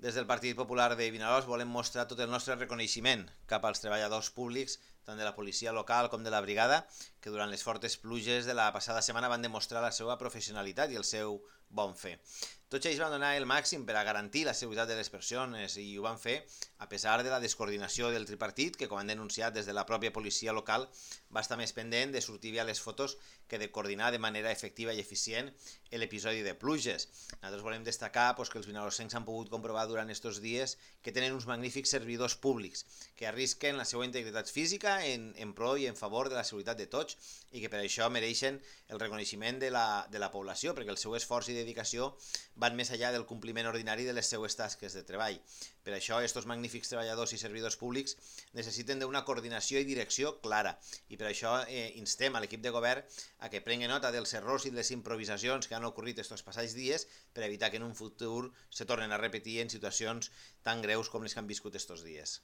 Des del Partit Popular de Vinaròs volem mostrar tot el nostre reconeixement cap als treballadors públics, tant de la policia local com de la brigada, que durant les fortes pluges de la passada setmana van demostrar la seva professionalitat i el seu bon fer. Tots ells van donar el màxim per a garantir la seguretat de les persones i ho van fer a pesar de la descoordinació del tripartit, que, com han denunciat des de la pròpia policia local, va estar més pendent de sortir bé a les fotos que de coordinar de manera efectiva i eficient l'episodi de pluges. Nosaltres volem destacar que els vinarossencs han pogut comprovar durant aquests dies que tenen uns magnífics servidors públics que arrisquen la seva integritat física en pro i en favor de la seguretat de tots i que per això mereixen el reconeixement de la població, perquè el seu esforç i dedicació van més enllà del compliment ordinari de les seues tasques de treball. Per això, aquests magnífics treballadors i servidors públics necessiten d'una coordinació i direcció clara i per això instem a l'equip de govern a que prengui nota dels errors i de les improvisacions que han ocorrit aquests passats dies per evitar que en un futur se tornen a repetir en situacions tan greus com les que han viscut aquests dies.